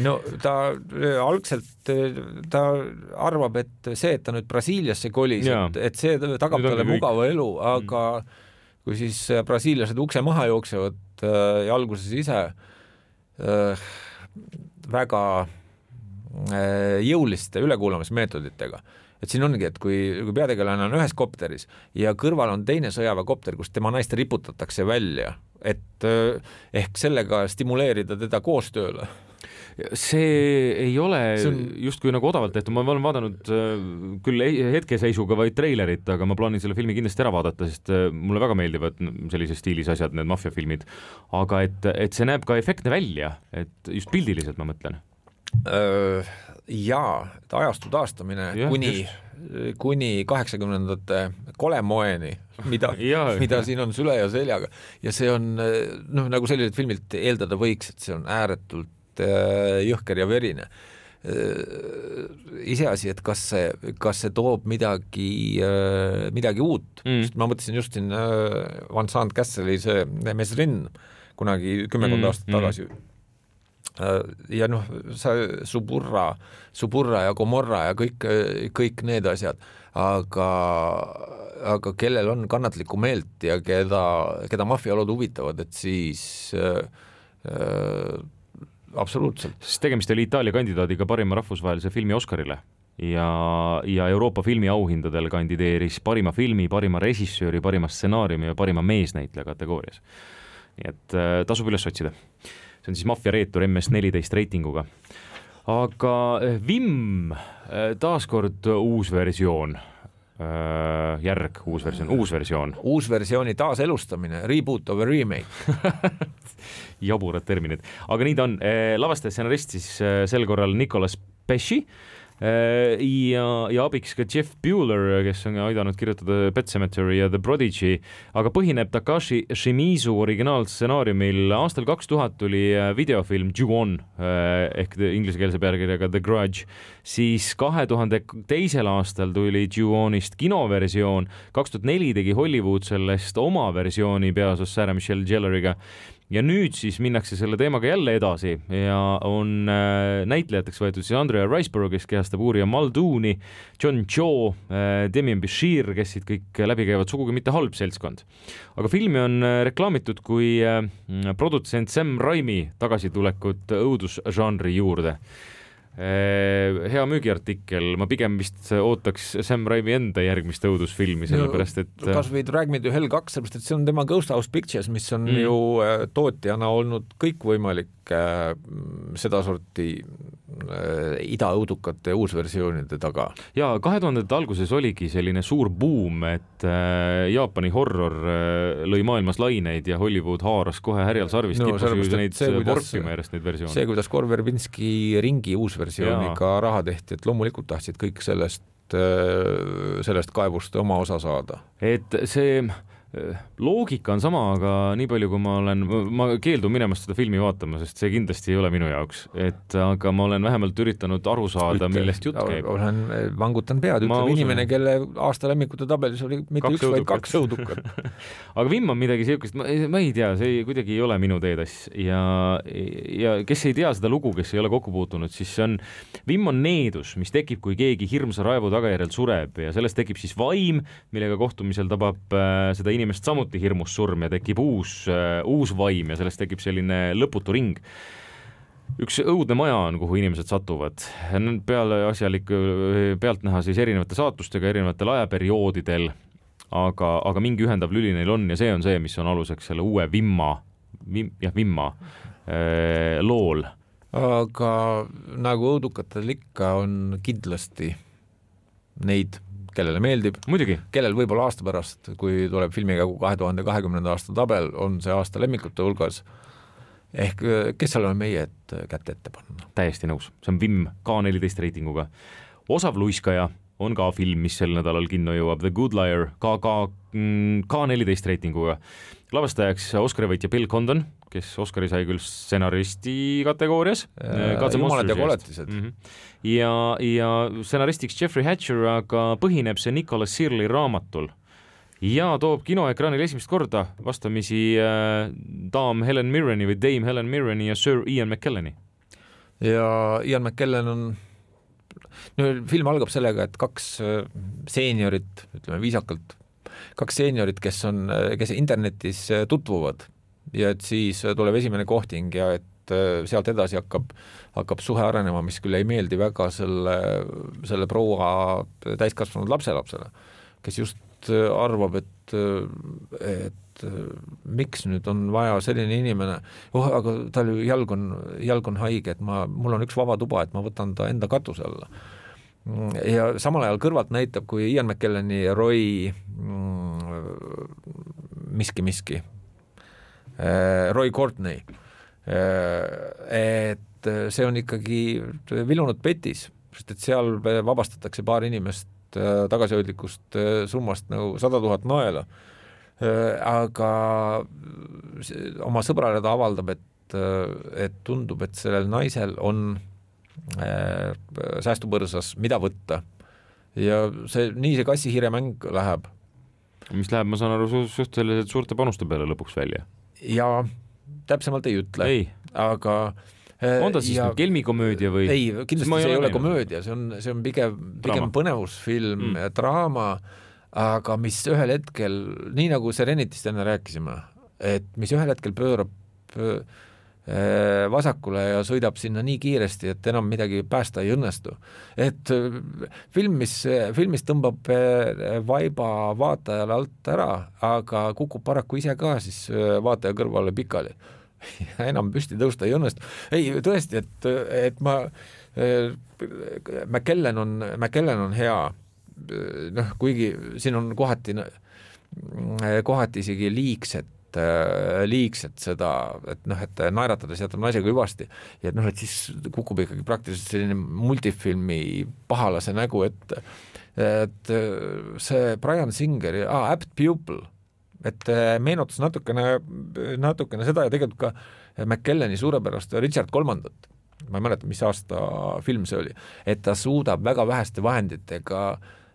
No ta algselt ta arvab, et see, et ta nüüd Brasiiliasse kolis, et, et see tagab talle mugava elu, aga mm. kui siis brasiiliased ukse maha jooksevad ja alguses ise äh, väga äh, jõuliste ülekuulamismeetoditega. Et siin ongi, et kui, kui peategelane on ühes kopteris ja kõrval on teine sõjaväekopter, kus tema naist riputatakse välja, et äh, ehk sellega stimuleerida teda koostööle. See ei ole on... justkui nagu odavalt tehtud, ma olen vaadanud küll hetkeseisuga vaid treilerit, aga ma plaanin selle filmi kindlasti ära vaadata, sest mulle väga meeldivad sellise stiilis asjad, need maffiafilmid, aga et, et see näeb ka efektne välja, et just pildiliselt ma mõtlen. Jaa, et ajastu taastamine ja, kuni, kuni kaheksakümnendate kolemoeni, mida, mida siin on süle ja seljaga ja see on, noh, nagu sellised filmilt eeldada võiks, et see on ääretult jõhker ja verine. Iseasi, et kas see, kas see toob midagi, midagi uut. Mm. Ma mõtlesin just siin Van Sant Castle'i see Mesrin kunagi kümmekond mm. aastat tagasi. Mm. Ja noh, Suburra, Suburra ja Gomorra ja kõik, kõik need asjad, aga, aga kellel on kannatlikku meelt ja keda, keda maffialod huvitavad, et siis äh, absoluutselt. Sest tegemist oli Itaalia kandidaadiga parima rahvusvahelise filmi Oscarile ja, ja Euroopa filmi auhindadel kandideeris parima filmi, parima režissööri, parima stsenaariumi ja parima meesnäitleja kategoorias. Nii et äh, tasub üles otsida. See on siis Mafia reetur M S neliteist reitinguga. Aga Vim, taaskord uus versioon, järg, uus versioon, uus versioon. Uus versiooni taaselustamine, reboot of a remake. Jaburad terminid. Aga nii ta on. Lavastaja stsenarist siis sel korral Nicolas Pesci ja, ja abiks ka Jeff Bueller, kes on aidanud kirjutada Pet Sematary ja The Prodigy, aga põhineb Takashi Shimizu originaalstsenaariumil. Aastal kaks tuhat tuli videofilm Ju-On ehk inglisekeelse pealkirjaga The Grudge, siis kahe tuhande teisel aastal tuli Ju-Onist kinoversioon, kaks tuhat neli tegi Hollywood sellest oma versiooni peaosas Sarah Michelle Gelariga. Ja nüüd siis minnakse selle teemaga jälle edasi ja on äh, näitlejateks võetud siis Andrea Riseborough, kes kehastab uurija Muldooni, John Cho, äh, Demian Bichir, kes siit kõik läbi käivad, sugugi mitte halb seltskond. Aga filmi on äh, reklaamitud kui äh, produtsent Sam Raimi tagasitulekut õudusžanri juurde. Hea müügiartikkel, ma pigem vist ootaks Sam Raimi enda järgmist õudusfilmi, sellepärast et kas või Drag Me to Hell kaks, sellepärast et see on tema Ghost House Pictures, mis on mm. ju tootjana olnud kõikvõimalik äh, sedasorti äh, idaõudukate uusversioonide taga. Ja kahe tuhandete alguses oligi selline suur buum, et äh, Jaapani horror äh, lõi maailmas laineid ja Hollywood haaras kohe härjal sarvist no, kippus neid vorpima järjest neid versioone. See, kuidas Gore Verbinski ringi uus versiooniga Jaa. raha tehti, et loomulikult tahtsid kõik sellest, sellest kaevust oma osa saada. Et see loogika on sama, aga nii palju, kui ma olen, ma keeldun minemast seda filmi vaatama, sest see kindlasti ei ole minu jaoks, et aga ma olen vähemalt üritanud aru saada, Ütle, millest jutt käib. Olen vangutan pead, ütleb inimene, kelle aasta lemmikute tabelis oli mitte kaks üks, vaid kaks õudukat. Aga Vim on midagi siukest, ma, ma ei tea, see kuidagi ei ole minu teedas ja, ja kes ei tea seda lugu, kes ei ole kokku puutunud, siis see on, Vim on needus, mis tekib, kui keegi hirmsa raevu tagajärjel sureb ja sellest tekib siis vaim, millega kohtumisel tabab äh, seda inimest inimest samuti hirmus surm ja tekib uus, uh, uus vaim ja sellest tekib selline lõputu ring. Üks õudne maja on, kuhu inimesed satuvad. Peale asjalik pealt näha siis erinevate saatustega erinevatel ajaperioodidel, aga, aga mingi ühendav lüli neil on ja see on see, mis on aluseks selle uue Vimma, vim, jah, Vimma äh, lool. Aga nagu õudukatel ikka on kindlasti neid kellele meeldib, muidugi, kellel võib-olla aasta pärast, kui tuleb filmikägu kahe tuhande kahekümnenda aasta tabel, on see aasta lemmikute hulgas, ehk kes seal on meie, et kätte ette panna. täiesti nõus, see on Vim K neliteist reitinguga. Osav luiskaja on ka film, mis sel nädalal kinno jõuab, The Good Liar, ka K neliteist reitinguga. Lavastajaks Oscari võitja Bill Condon, kes Oscari sai küll stsenaristi kategoorias. Jumalad ja koletised. Mm -hmm. ja, ja stsenaristiks Jeffrey Hatcher, aga põhineb see Nicholas Searley raamatul ja toob kinoekraanil esimest korda vastamisi äh, daam Helen Mirreni või Dame Helen Mirreni ja Sir Ian McKelleni. Ja Ian McKellen on no, film algab sellega, et kaks seeniorit, ütleme viisakalt, kaks seeniorit, kes on, kes internetis tutvuvad ja et siis tuleb esimene kohting ja et sealt edasi hakkab, hakkab suhe arenema, mis küll ei meeldi väga selle, selle proua täiskasvanud lapselapsele, kes just arvab, et, et miks nüüd on vaja selline inimene, oh, aga tal jalg on, jalg on haige, et ma, mul on üks vaba tuba, et ma võtan ta enda katuse alla. Ja samal ajal kõrvalt näitab, kui Ian McKelleni ja Roy miski-miski, Roy Courtney, et see on ikkagi vilunud petis, sest et seal vabastatakse paar inimest tagasihoidlikust summast nagu sada tuhat naela, aga oma sõbrale ta avaldab, et, et tundub, et sellel naisel on säästupõrsas, mida võtta. Ja see, nii see kassi-hiire mäng läheb. Mis läheb, ma saan aru, suhteliselt suurte panuste peale lõpuks välja. Ja täpsemalt ei ütle, ei. aga on ta siis ja, kelmikomöödia või? Ei, kindlasti see ei ole näinud. Komöödia, see on, see on pigem, pigem põnevusfilm mm. ja draama, aga mis ühel hetkel, nii nagu Serenitist enne rääkisime, et mis ühel hetkel pöörab vasakule ja sõidab sinna nii kiiresti, et enam midagi päästa ei õnnestu. Et film, mis, filmis tõmbab vaiba vaatajale alt ära, aga kukub paraku ise ka siis vaataja kõrvale pikali. enam püsti tõusta ei õnnestu. Ei, tõesti, et, et ma McKellen on, McKellen on hea, noh, kuigi siin on kohati, kohati isegi liigset, liigset seda, et noh, et naeratades jätab naisega hüvasti ja et noh, et siis kukub ikkagi praktiliselt selline multifilmi pahalase nägu, et, et see Brian Singer, ah, Apt Pupil, et meenutas natukene, natukene seda ja tegelikult ka McKelleni suurepärast Richard kolmandat, ma ei mäleta, mis aasta film see oli, et ta suudab väga väheste vahenditega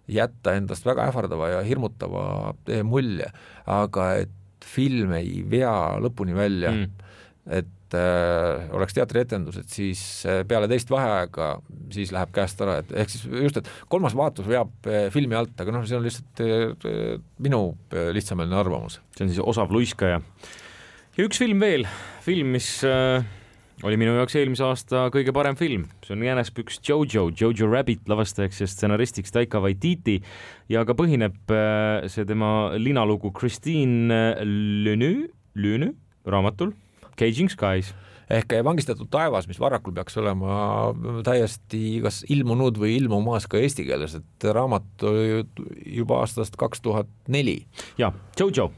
jätta endast väga ähvardava ja hirmutava mulje, aga et film ei vea lõpuni välja, mm. et äh, oleks teatrietendus, et siis peale teist vaheaega siis läheb käest ära, et ehk siis just, et kolmas vaatus veab filmi alt, aga noh, see on lihtsalt äh, minu lihtsameelne arvamus. See on siis Osav luiskaja. Ja üks film veel, film, mis äh, oli minu jaoks eelmise aasta kõige parem film. See on Jänespüks Jojo, Jojo Rabbit lavastajaks ja stsenaristiks Taika Waititi ja ka põhineb äh, see tema linalugu Christine Lenue, Lenue raamatul Caging Skies. Ehk Vangistatud taevas, mis Varrakul peaks olema täiesti kas ilmunud või ilmumaas ka eesti keeles, et raamat juba aastast kaks tuhat neli. Ja, Jojo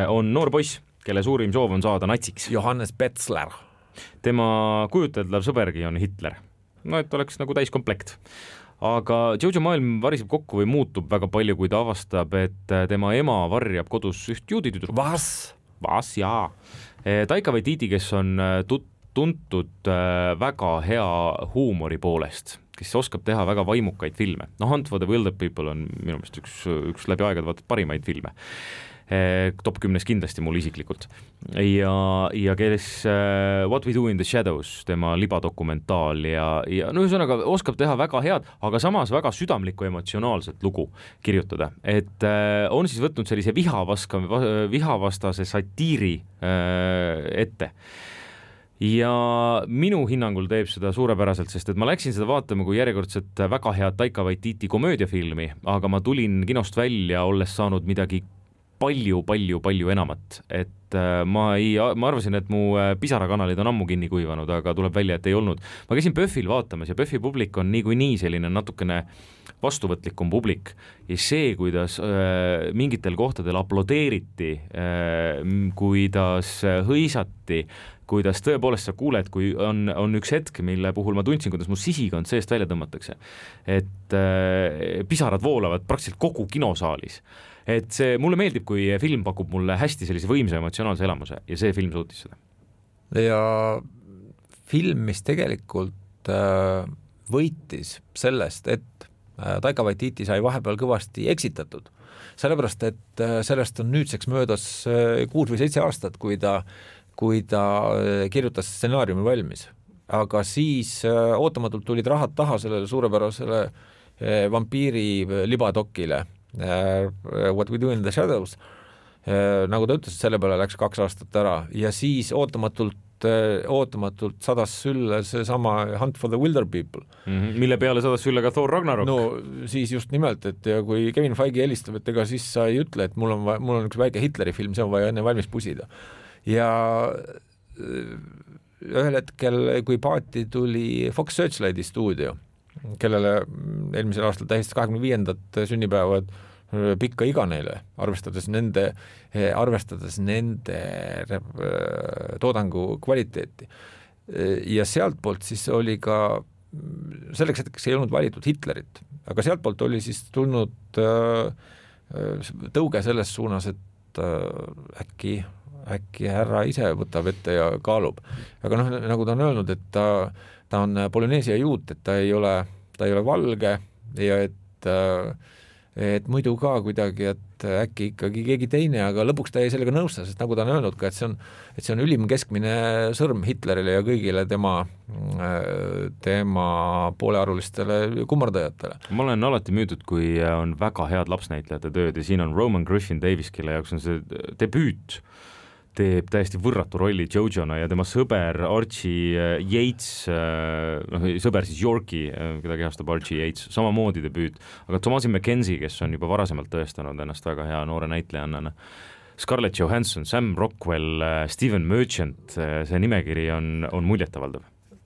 on noor poiss, kelle suurim soov on saada natsiks. Johannes Betzler. Tema kujuteldav sõbergi on Hitler. No, et oleks nagu täiskomplekt. Aga Jojo maailm variseb kokku või muutub väga palju, kui ta avastab, et tema ema varjab kodus üht juuditüdrukut. Vas? Vas, jaa. Taika Waititi, kes on tut- tuntud väga hea huumori poolest, kes oskab teha väga vaimukaid filme. No Hunt for the Wilder People on minu meelest üks, üks läbi aegade vaata parimaid filme. Top kümnes kindlasti mul isiklikult. Ja, ja kes What We Do in the Shadows, tema libadokumentaal ja, ja no ühesõnaga oskab teha väga head, aga samas väga südamlikku emotsionaalset lugu kirjutada. Et on siis võtnud sellise vihavaska, vihavastase satiiri ette. Ja minu hinnangul teeb seda suurepäraselt, sest et ma läksin seda vaatama kui järjekordselt väga head Taika Waititi komöödiafilmi, aga ma tulin kinost välja, olles saanud midagi palju, palju, palju enamat. Et ma, ei, ma arvasin, et mu pisarakanalid on ammu kinni kuivanud, aga tuleb välja, et ei olnud. Ma käisin Pöffil vaatamas ja Pöffi publik on nii kui nii selline natukene vastuvõtlikum publik ja see, kuidas äh, mingitel kohtadel aplodeeriti äh,, kuidas hõisati, kuidas tõepoolest sa kuuled, kui on, on üks hetk, mille puhul ma tundsin, kuidas mu sisikond seest välja tõmmatakse, et äh, pisarad voolavad praktiliselt kogu kinosaalis. Et see, mulle meeldib, kui film pakub mulle hästi sellise võimsa emotsionaalse elamuse ja see film suutis seda. Ja film, mis tegelikult äh, võitis sellest, et äh, Taika Waititi sai vahepeal kõvasti eksitatud, sellepärast, et äh, sellest on nüüdseks möödas äh, kuus või seitse aastat, kui ta, kui ta äh, kirjutas stsenaariumi valmis. Aga siis äh, ootamatult tulid rahad taha sellele suurepärasele äh, vampiiri libadokile äh, What We Do in the Shadows. Äh, nagu ta ütles, selle peale läks kaks aastat ära ja siis ootamatult ootamatult sadas sülle see sama Hunt for the Wilder People. Mm-hmm. Mille peale sadas sülle ka Thor Ragnarok. No siis just nimelt, et ja kui Kevin Feige helistab, et ega siis sa ei ütle, et mul on, vaja, mul on üks väike Hitleri film, see on vaja enne valmis pusida. Ja ühel hetkel, kui paati tuli Fox Searchlighti stuudio, kellele eelmisel aastal tähistas kahekümne viiendat sünnipäevad pikka iga neile, arvestades nende, arvestades nende toodangu kvaliteeti. Ja sealt poolt siis oli ka, selleks hetkeks ei olnud valitud Hitlerit, aga sealt poolt oli siis tulnud tõuge selles suunas, et äkki, äkki härra ise võtab ette ja kaalub. Aga noh, nagu ta on öelnud, et ta, ta on Polüneesia juut, et ta ei ole, ta ei ole valge ja et et muidu ka kuidagi, et äkki ikkagi keegi teine, aga lõpuks ta ei sellega nõusta, sest nagu ta on öelnud ka, et see on, et see on ülim keskmine sõrm Hitlerile ja kõigile tema, tema poolearulistele kummardajatele. Ma olen alati müüdud, kui on väga head lapsnäitlejate tööd ja siin on Roman Griffin Davis, kelle jaoks on see debüüt, teeb täiesti võrratu rolli Jojona ja tema sõber Archie Yates, noh, sõber siis Yorki, keda kehastab Archie Yates, samamoodi debüüt, aga Thomasin McKenzie, kes on juba varasemalt tõestanud ennast väga hea noore näitlejannana, Scarlett Johansson, Sam Rockwell, Steven Merchant, see nimekiri on, on muljetavaldav.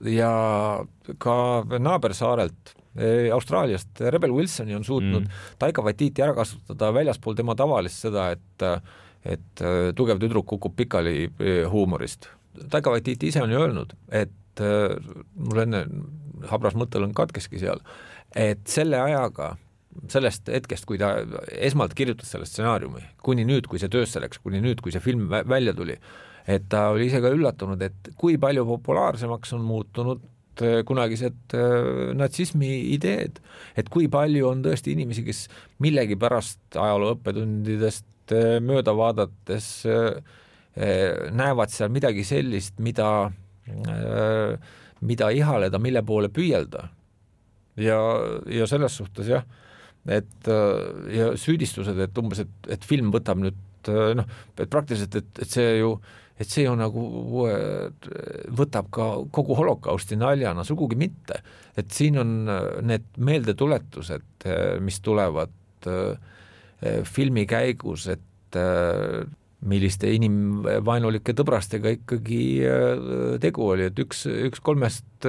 Ja ka naabersaarelt Austraaliast Rebel Wilsoni on suutnud mm. Taika Waititi ära kasutada väljaspool tema tavalist seda, et et tugev tüdruk kukub pikali huumorist. Taika Waititi ise on ju öelnud, et mul enne habras mõttel on katkeski seal, et selle ajaga, sellest hetkest, kui ta esmalt kirjutas selle stsenaariumi, kuni nüüd, kui see töösse läks, kuni nüüd, kui see film välja tuli, et ta oli ise ka üllatunud, et kui palju populaarsemaks on muutunud kunagised natsismi ideed, et kui palju on tõesti inimesi, kes millegi pärast ajaloo õppetundidest mööda vaadates näevad seal midagi sellist, mida, mida ihaleda, mille poole püüelda. Ja, ja selles suhtes jah, et ja süüdistused, et umbes, et, et film võtab nüüd, noh, et praktiliselt, et, et see ju, et see ju nagu võtab ka kogu holokausti naljana, sugugi mitte. Et siin on need meeldetuletused, mis tulevad filmi käigus, et milliste inimvaenulike tõbrastega ikkagi tegu oli, et üks, üks kolmest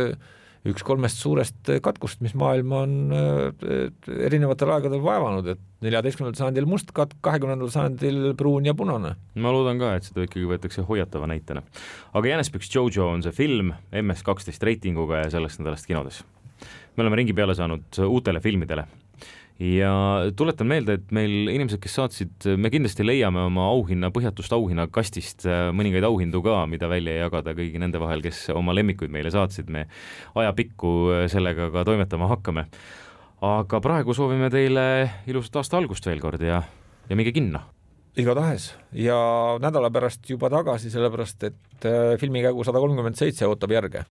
üks kolmest suurest katkust, mis maailma on erinevatel aegadel vaevanud, et neljateistkümnendal sajandil must katk, kahekümnendal sajandil pruun ja punane. Ma loodan ka, et seda ikkagi võetakse hoiatava näitena. Aga Jänesbüks Jojo on see film M S kaksteist reitinguga ja sellest nädalast kinodes. Me oleme ringi peale saanud uutele filmidele. Ja tuletan meelde, et meil inimesed, kes saatsid, me kindlasti leiame oma auhinna, põhjatust auhinna kastist mõningaid auhindu ka, mida välja jagada kõigi nende vahel, kes oma lemmikuid meile saatsid. Me ajapikku sellega ka toimetama hakkame. Aga praegu soovime teile ilusat aasta algust veel kord ja, ja minge kinno. Igatahes. Ja nädala pärast juba tagasi, sellepärast, et filmikägu sada kolmkümmend seitse ootab järge.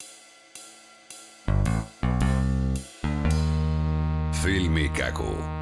Filmikägu.